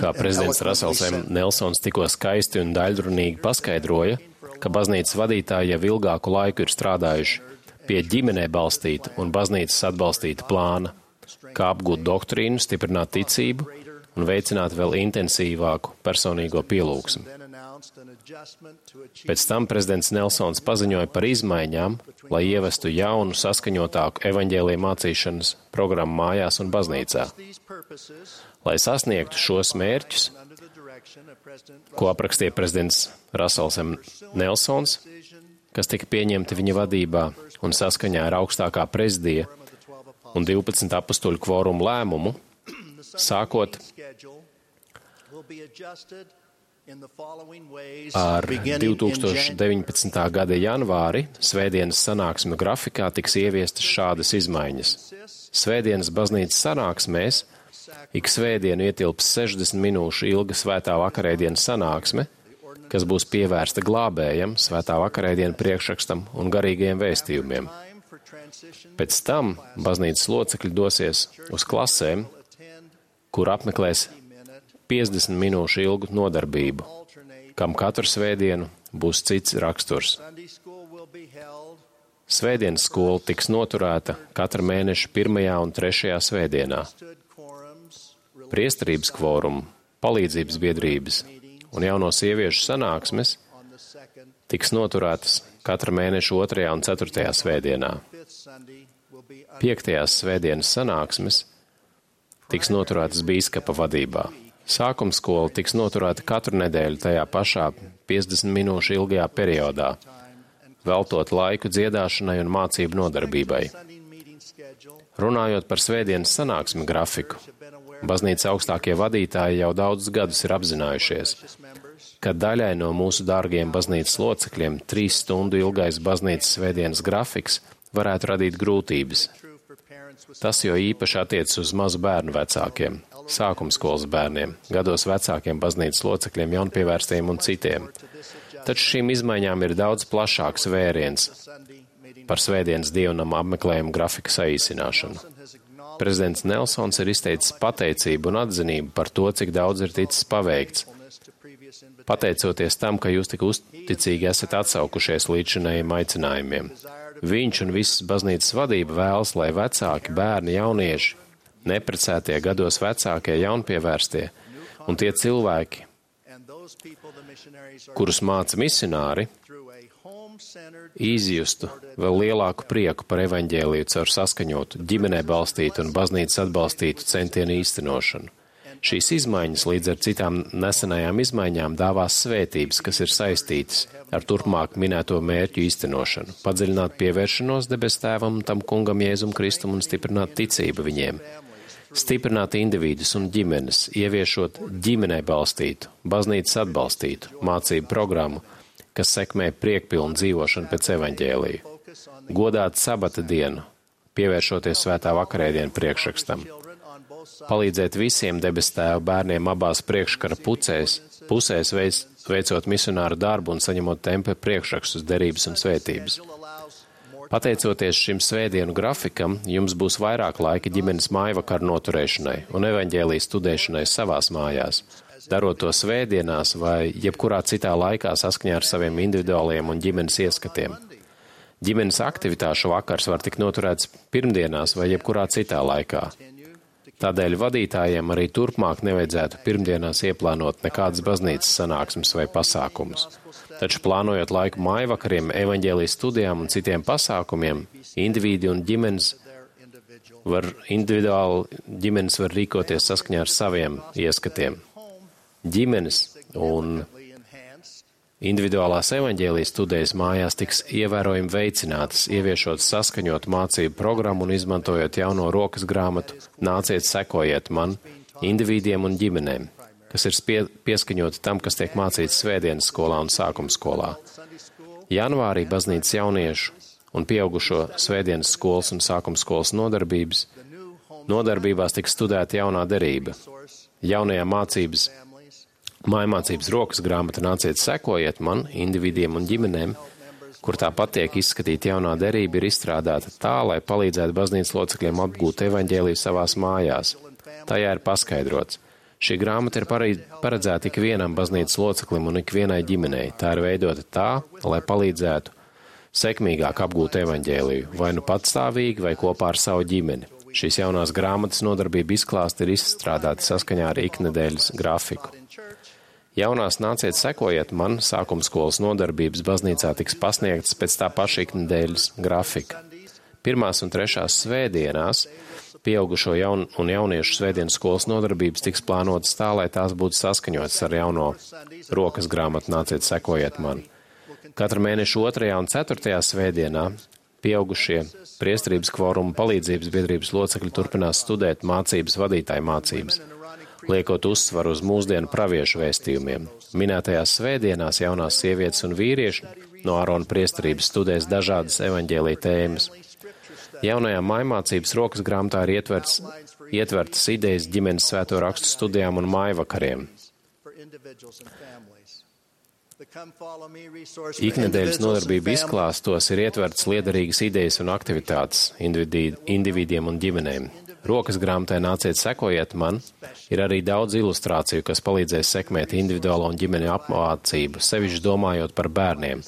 Kā prezidents Russells M. Nelsons tikko skaisti un daļrunīgi paskaidroja, ka baznīcas vadītāji jau ilgāku laiku ir strādājuši pie ģimenē balstīta un baznīcas atbalstīta plāna, kā apgūt doktrīnu, stiprināt ticību un veicināt vēl intensīvāku personīgo pielūgsmu. Pēc tam prezidents Nelsons paziņoja par izmaiņām, lai ievestu jaunu, saskaņotāku evaņģēlija mācīšanas programmu mājās un baznīcā. Lai sasniegtu šos mērķus, ko aprakstīja prezidents Russells M. Nelsons, kas tika pieņemti viņa vadībā un saskaņā ar augstākā prezidija un 12 apustuļu kvorumu lēmumu, sākot ar 2019. gada janvāri svētdienas sanāksmu grafikā tiks ieviestas šādas izmaiņas. Svētdienas baznīcas sanāksmēs ik svētdienu ietilps 60 minūšu ilga svētā vakarēdienas sanāksme, kas būs pievērsta glābējam, svētā vakarēdienu priekšrakstam un garīgajiem vēstījumiem. Pēc tam baznīcas locekļi dosies uz klasēm, kur apmeklēs 50 minūšu ilgu nodarbību, kam katru svētdienu būs cits raksturs. Svētdienas skola tiks noturēta katra mēneša 1. un 3. svētdienā. Priesterības kvorumu, palīdzības biedrības un jauno sieviešu sanāksmes tiks noturētas katra mēneša 2. un 4. svētdienā. 5. svētdienas sanāksmes tiks noturētas bīskapa vadībā. Sākuma skola tiks noturēta katru nedēļu tajā pašā 50 minūšu ilgajā periodā, veltot laiku dziedāšanai un mācību nodarbībai. Runājot par svētdienas sanāksmi grafiku, baznīcas augstākie vadītāji jau daudzus gadus ir apzinājušies, ka daļai no mūsu dārgiem baznīcas locekļiem 3 stundu ilgais baznīcas svētdienas grafiks varētu radīt grūtības. Tas jo īpaši attiecas uz mazu bērnu vecākiem, sākumskolas bērniem, gados vecākiem baznīcas locekļiem, jaunpievērstiem un citiem. Taču šīm izmaiņām ir daudz plašāks vēriens par svētdienas dievnama apmeklējumu grafika saīsināšanu. Prezidents Nelsons ir izteicis pateicību un atzinību par to, cik daudz ir ticis paveikts. Pateicoties tam, ka jūs tik uzticīgi esat atsaukušies līdzinējiem aicinājumiem. Viņš un visas baznīcas vadība vēlas, lai vecāki, bērni, jaunieši, neprecētie, gados vecākie, jaunpievērstie un tie cilvēki, kurus māca misionāri, izjustu vēl lielāku prieku par evaņģēliju caur saskaņotu, ģimenē balstītu un baznīcas atbalstītu centienu īstenošanu. Šīs izmaiņas līdz ar citām nesenajām izmaiņām dāvās svētības, kas ir saistītas ar turpmāk minēto mērķu īstenošanu, padziļināt pievēršanos debes tēvam un tam kungam Jēzum Kristum un stiprināt ticību viņiem, stiprināt individus un ģimenes, ieviešot ģimenē balstītu, baznīcas atbalstītu, mācību programmu, kas sekmē priekpilnu dzīvošanu pēc evaņģēlija, godāt sabata dienu, pievēršoties svētā vakarēdienu priekšrakstam, palīdzēt visiem debes tēva bērniem abās priekškara pusēs veicot misionāru darbu un saņemot templi priekšrakstus, derības un svētības. Pateicoties šim svētdienu grafikam, jums būs vairāk laika ģimenes mājvakaru noturēšanai un evaņģēlijas studēšanai savās mājās, darot to svētdienās vai jebkurā citā laikā saskaņā ar saviem individuāliem un ģimenes ieskatiem. Ģimenes aktivitāšu vakars var tikt noturēts pirmdienās vai jebkurā citā laikā. Tādēļ vadītājiem arī turpmāk nevajadzētu pirmdienās ieplānot nekādas baznīcas sanāksmes vai pasākumus. Taču plānojot laiku mājvakariem, evaņģēlijas studijām un citiem pasākumiem, individi un ģimenes var rīkoties saskaņā ar saviem ieskatiem. Ģimenes un individuālās evaņģēlijas studijas mājās tiks ievērojami veicinātas, ieviešot saskaņot mācību programmu un izmantojot jauno rokas grāmatu Nāciet, sekojiet man, individiem un ģimenēm, kas ir pieskaņoti tam, kas tiek mācīts svētdienas skolā un sākuma skolā. Janvārī baznīcas jauniešu un pieaugušo svētdienas skolas un sākuma skolas nodarbībās tiks studēta jaunā derība. Jaunajā mājmācības rokas grāmata Nāciet, sekojiet man, individiem un ģimenēm, kur tāpat tiek izskatīta jaunā derība, ir izstrādāta tā, lai palīdzētu baznīcas locekļiem apgūt evaņģēliju savās mājās. Tajā ir paskaidrots. Šī grāmata ir paredzēta ikvienam baznīcas loceklim un ikvienai ģimenei. Tā ir veidota tā, lai palīdzētu sekmīgāk apgūt evaņģēliju, vai nu patstāvīgi, vai kopā ar savu ģimeni. Šīs jaunās grāmatas nodarbība izklāsti ir izstrādāti saskaņā ar iknedēļas grafiku. Jaunās nāciet sekojiet man, sākumskolas nodarbības baznīcā tiks pasniegtas pēc tā paša iknedēļas grafika. 1. un 3. svētdienās pieaugušo un jauniešu svētdienas skolas nodarbības tiks plānotas tā, lai tās būtu saskaņotas ar jauno rokas grāmatu nāciet sekojiet man. Katra mēneša 2. un 4. svētdienā pieaugušie priesterības kvoruma palīdzības biedrības locekļi turpinās studēt mācības vadītāju mācības, liekot uzsvaru uz mūsdienu praviešu vēstījumiem. Minētajās svētdienās jaunās sievietes un vīrieši no Ārona priesterības studēs dažādas evaņģēlija tēmas. Jaunajā mājmācības rokas grāmatā ir ietvertas idejas ģimenes svēto rakstu studijām un mājvakariem. Iknedēļas nodarbību izklāstos ir ietvertas liederīgas idejas un aktivitātes individiem un ģimenēm. Rokas grāmatai nāciet sekojiet man, ir arī daudz ilustrāciju, kas palīdzēs sekmēt individuālo un ģimeņu apmācību, sevišķi domājot par bērniem.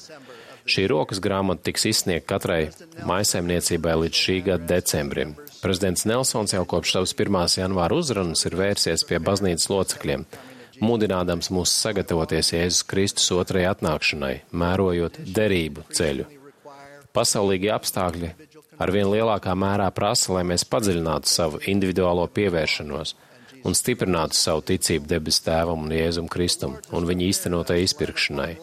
Šī rokas grāmata tiks izsniegta katrai mājsaimniecībai līdz šī gada decembrim. Prezidents Nelsons jau kopš savas 1. janvāra uzrunas ir vērsies pie baznīcas locekļiem, mudinādams mūs sagatavoties Jēzus Kristus otrajai atnākšanai, mērojot derību ceļu. Pasaulīgie apstākļi arvien lielākā mērā prasa, lai mēs padziļinātu savu individuālo pievēršanos un stiprinātu savu ticību debesu Tēvam un Jēzum Kristum un viņa īstenotai izpirkšanai.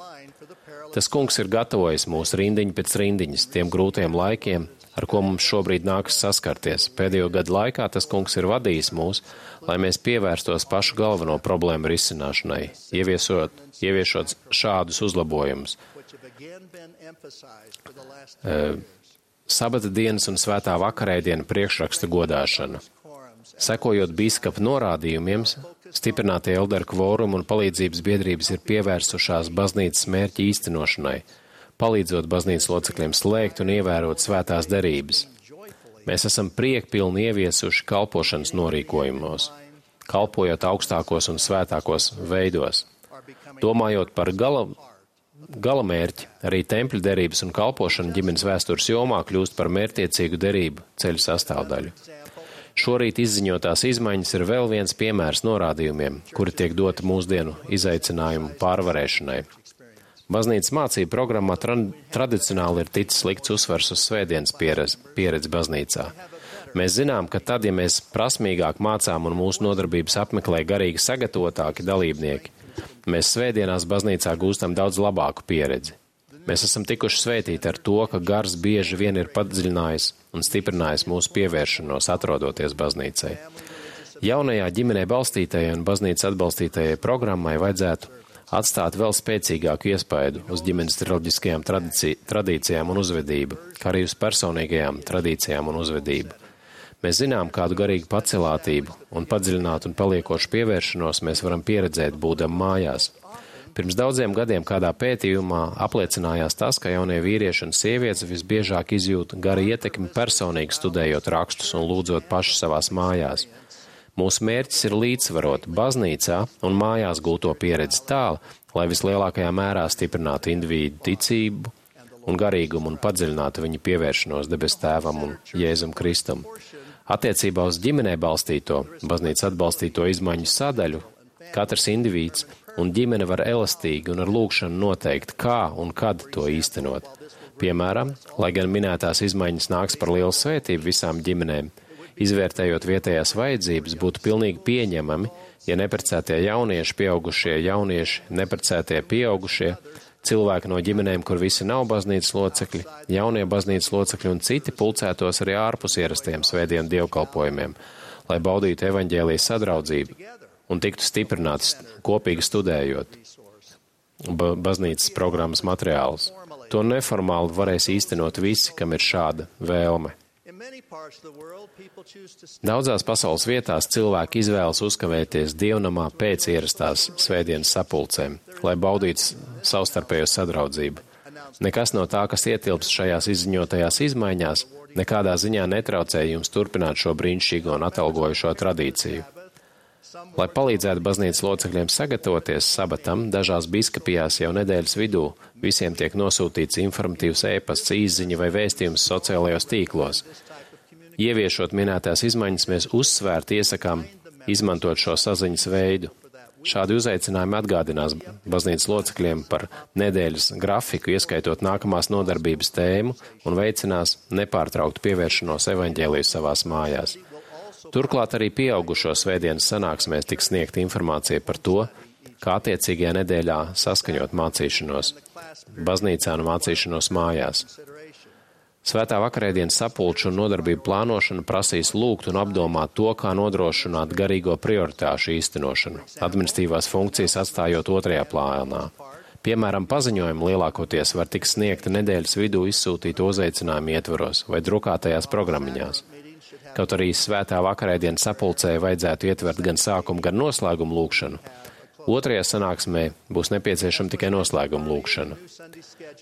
Tas kungs ir gatavojis mūs rindiņu pēc rindiņas tiem grūtiem laikiem, ar ko mums šobrīd nākas saskarties. Pēdējo gadu laikā tas kungs ir vadījis mūs, lai mēs pievērstos pašu galveno problēmu risināšanai, ieviešot šādus uzlabojumus. Sabata dienas un svētā vakarēdiena priekšraksta godāšana. Sekojot bīskapa norādījumiem, stiprinātie elderu kvorumi un palīdzības biedrības ir pievērsušās baznīcas mērķa īstenošanai, palīdzot baznīcas locekļiem slēgt un ievērot svētās derības. Mēs esam priekpilni ieviesuši kalpošanas norīkojumos, kalpojot augstākos un svētākos veidos. Domājot par galamērķi, arī tempļu derības un kalpošana ģimenes vēstures jomā kļūst par mērķtiecīgu derību ceļu sastāvdaļu. Šorīt izziņotās izmaiņas ir vēl viens piemērs norādījumiem, kuri tiek doti mūsdienu izaicinājumu pārvarēšanai. Baznīcas mācību programmā tradicionāli ir ticis likts uzsvars uz svētdienas pieredzi baznīcā. Mēs zinām, ka tad, ja mēs prasmīgāk mācām un mūsu nodarbības apmeklē garīgi sagatavotāki dalībnieki, mēs svētdienās baznīcā gūstam daudz labāku pieredzi. Mēs esam tikuši svētīti ar to, ka gars bieži vien ir padziļinājis un stiprinājis mūsu pievēršanos, atrodoties baznīcai. Jaunajā ģimenē balstītajai un baznīcas atbalstītajai programmai vajadzētu atstāt vēl spēcīgāku iespaidu uz ģimenes reliģiskajām tradīcijām un uzvedību, kā arī uz personīgajām tradīcijām un uzvedību. Mēs zinām, kādu garīgu pacelātību un padziļinātu un paliekošu pievēršanos mēs varam pieredzēt būdam mājās. Pirms daudziem gadiem kādā pētījumā apliecinājās tas, ka jaunie vīrieši un sievietes visbiežāk izjūt garu ietekmi personīgi studējot rakstus un lūdzot paši savās mājās. Mūsu mērķis ir līdzsvarot baznīcā un mājās gūto pieredzi tā, lai vislielākajā mērā stiprinātu individu ticību un garīgumu un padziļinātu viņa pievēršanos debesu Tēvam un Jēzum Kristum. Attiecībā uz ģimenē balstīto, baznīcas atbalstīto izmaiņu sadaļu, katrs indivīds un ģimene var elastīgi un ar lūgšanu noteikt, kā un kad to īstenot. Piemēram, lai gan minētās izmaiņas nāks par lielu svētību visām ģimenēm, izvērtējot vietējās vajadzības, būtu pilnīgi pieņemami, ja neprecētie jaunieši, pieaugušie jaunieši, neprecētie pieaugušie, cilvēki no ģimenēm, kur visi nav baznīcas locekļi, jaunie baznīcas locekļi un citi pulcētos arī ārpus ierastiem svētdienu dievkalpojumiem, lai baudītu evaņģēlijas sadraudzību un tiktu stiprināts kopīgi studējot baznīcas programmas materiālus. To neformāli varēs īstenot visi, kam ir šāda vēlme. Daudzās pasaules vietās cilvēki izvēlas uzkavēties dievnamā pēc ierastās svētdienas sapulcēm, lai baudītu savstarpējo sadraudzību. Nekas no tā, kas ietilpst šajās izziņotajās izmaiņās, nekādā ziņā netraucē jums turpināt šo brīnišķīgo un atalgojušo tradīciju. Lai palīdzētu baznīcas locekļiem sagatavoties sabatam, dažās biskupijās jau nedēļas vidū visiem tiek nosūtīts informatīvs ēpasts, īsziņa vai vēstījums sociālajos tīklos. Ieviešot minētās izmaiņas, mēs uzsvērti iesakām izmantot šo saziņas veidu. Šādi uzaicinājumi atgādinās baznīcas locekļiem par nedēļas grafiku, ieskaitot nākamās nodarbības tēmu, un veicinās nepārtrauktu pievēršanos evaņģēliju savās mājās. Turklāt arī pieaugušo svētdienas sanāksmēs tiks sniegta informācija par to, kā attiecīgajā nedēļā saskaņot mācīšanos baznīcā un mācīšanos mājās. Svētā vakarēdienas sapulču un nodarbību plānošana prasīs lūgt un apdomāt to, kā nodrošināt garīgo prioritāšu īstenošanu, administratīvās funkcijas atstājot otrajā plānā. Piemēram, paziņojumi lielākoties var tikt sniegti nedēļas vidū izsūtītu uzaicinājumu ietvaros vai drukātajās programmiņās. Kaut arī svētā vakarēdienas sapulcē vajadzētu ietvert gan sākumu, gan noslēgumu lūgšanu. Otrajā sanāksmē būs nepieciešama tikai noslēguma lūgšana.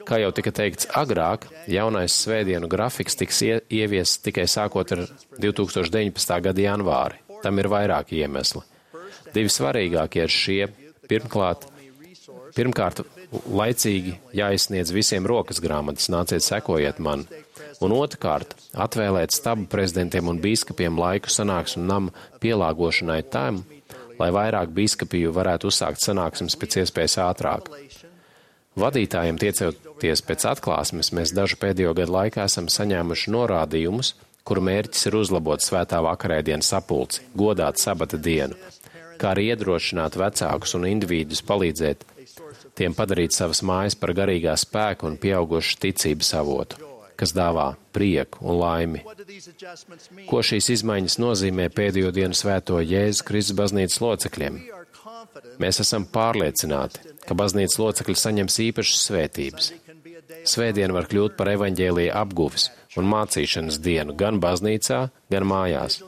Kā jau tika teikts agrāk, jaunais svētdienu grafiks tiks ieviests tikai sākot ar 2019. gada janvāri. Tam ir vairāki iemesli. Divi svarīgākie ir šie. Pirmkārt, laicīgi jāizsniedz visiem rokas grāmatas, nāciet sekojiet man. Un otrkārt, atvēlēt stabu prezidentiem un bīskapiem laiku sanāksmu nama pielāgošanai tam, lai vairāk bīskapiju varētu uzsākt sanāksmes pēc iespējas ātrāk. Vadītājiem tiecoties pēc atklāsmes, mēs dažu pēdējo gadu laikā esam saņēmuši norādījumus, kuru mērķis ir uzlabot svētā vakarēdienas sapulci, godāt sabata dienu, kā arī iedrošināt vecākus un individus palīdzēt tiem padarīt savas mājas par garīgā spēka un pieaugušu ticības avotu, kas dāvā prieku un laimi. Ko šīs izmaiņas nozīmē pēdējo dienu svēto Jēzus Kristus baznīcas locekļiem? Mēs esam pārliecināti, ka baznīcas locekļi saņems īpašas svētības. Svētdiena var kļūt par evaņģēlija apguves un mācīšanas dienu gan baznīcā, gan mājās.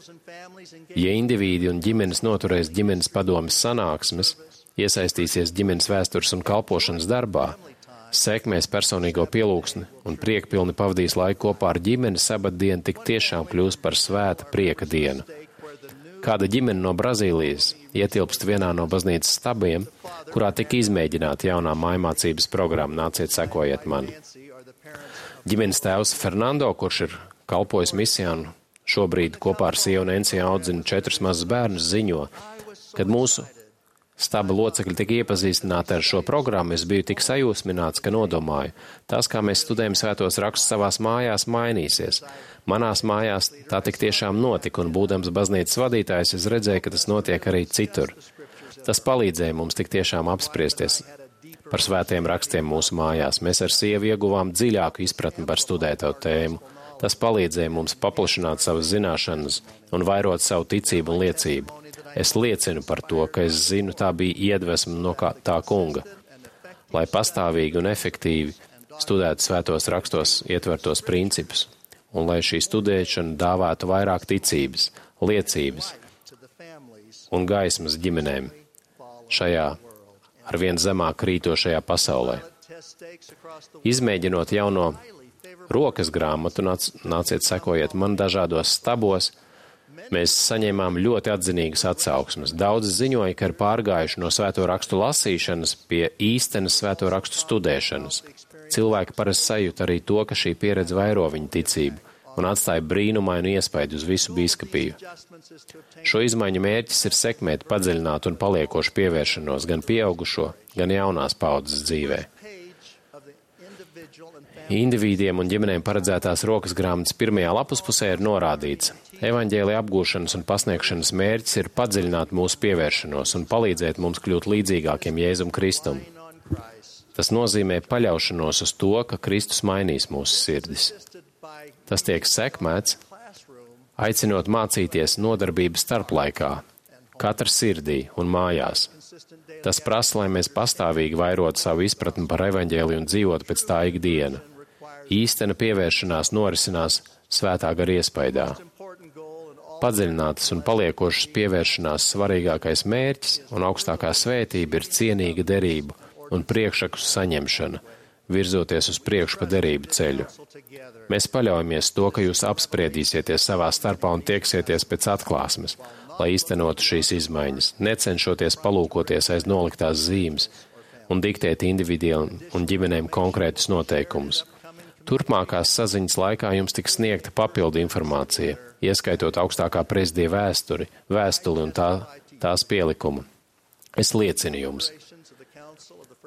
Ja indivīdi un ģimenes noturēs ģimenes padomes sanāksmes, iesaistīsies ģimenes vēstures un kalpošanas darbā, sekmēs personīgo pielūgsni un priekpilni pavadīs laiku kopā ar ģimeni, sabatdiena tik tiešām kļūs par svēta prieka dienu. Kāda ģimene no Brazīlijas ietilpst vienā no baznīcas stabiem, kurā tika izmēģināta jaunā mājmācības programma, nāciet sekojiet man. Ģimenes tēvs Fernando, kurš ir kalpojis misijā un šobrīd kopā ar sievu Nensiju audzina 4 mazus bērnus, ziņo, kad mūsu staba locekļi tika iepazīstināti ar šo programmu, es biju tik sajūsmināts, ka nodomāju, tas, kā mēs studējam svētos rakstus savās mājās, mainīsies. Manās mājās tā tik tiešām notika, un būdams baznīcas vadītājs, es redzēju, ka tas notiek arī citur. Tas palīdzēja mums tik tiešām apspriesties par svētiem rakstiem mūsu mājās. Mēs ar sievu ieguvām dziļāku izpratni par studēto tēmu. Tas palīdzēja mums paplašināt savas zināšanas un vairot savu ticību un liecību. Es liecinu par to, ka es zinu, tā bija iedvesma no tā kunga, lai pastāvīgi un efektīvi studētu svētos rakstos ietvertos principus, un lai šī studēšana dāvātu vairāk ticības, liecības un gaismas ģimenēm šajā arvien zemāk krītošajā pasaulē. Izmēģinot jauno rokas grāmatu, nāciet sekojiet man dažādos stabos, mēs saņēmām ļoti atzinīgas atsauksmes. Daudzi ziņoja, ka ir pārgājuši no svēto rakstu lasīšanas pie īstenas svēto rakstu studēšanas. Cilvēki parasti sajūt arī to, ka šī pieredze vairo viņu ticību un atstāja brīnumainu iespaidu uz visu bīskapiju. Šo izmaiņu mērķis ir sekmēt padziļināt un paliekošu pievēršanos gan pieaugušo, gan jaunās paudzes dzīvē. Indivīdiem un ģimenēm paredzētās rokas grāmatas pirmajā lapuspusē ir norādīts: evaņģēlija apgūšanas un pasniegšanas mērķis ir padziļināt mūsu pievēršanos un palīdzēt mums kļūt līdzīgākiem Jēzum Kristum. Tas nozīmē paļaušanos uz to, ka Kristus mainīs mūsu sirdis. Tas tiek sekmēts, aicinot mācīties nodarbības starplaikā, katra sirdī un mājās. Tas prasa, lai mēs pastāvīgi vairotu savu izpratni par evaņģēliju un dzīvotu pēc tā ikdiena. Īstena pievēršanās norisinās svētā gara iespaidā. Padziļinātas un paliekošas pievēršanās svarīgākais mērķis un augstākā svētība ir cienīga derība un priekšaku saņemšana, virzoties uz priekšu pa derību ceļu. Mēs paļaujamies to, ka jūs apspriedīsieties savā starpā un tieksieties pēc atklāsmes, lai īstenotu šīs izmaiņas, necenšoties palūkoties aiz noliktās zīmes un diktēt individiem un ģimenēm konkrētus noteikumus. Turpmākās saziņas laikā jums tiks sniegta papildu informācija, ieskaitot augstākā prezidija vēstuli un tās pielikumu. Es liecinu jums,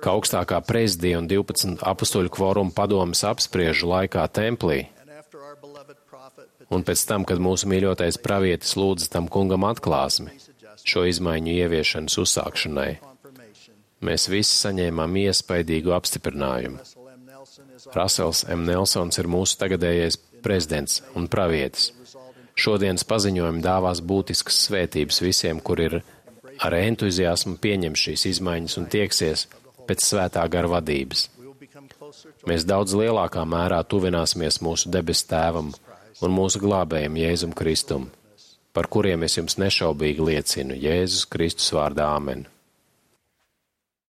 ka augstākā prezidija un 12 apustuļu kvoruma padomes apspriežu laikā templī, un pēc tam, kad mūsu mīļotais pravietis lūdza tam kungam atklāsmi, šo izmaiņu ieviešanas uzsākšanai, mēs visi saņēmām iespaidīgu apstiprinājumu. Rasels M. Nelsons ir mūsu tagadējais prezidents un pravietis. Šodienas paziņojumi dāvās būtiskas svētības visiem, kur ir ar entuziasmu pieņem šīs izmaiņas un tieksies pēc svētā gara vadības. Mēs daudz lielākā mērā tuvināsimies mūsu debesu Tēvam un mūsu glābējam Jēzum Kristum, par kuriem es jums nešaubīgi liecinu Jēzus Kristus vārdā Āmen.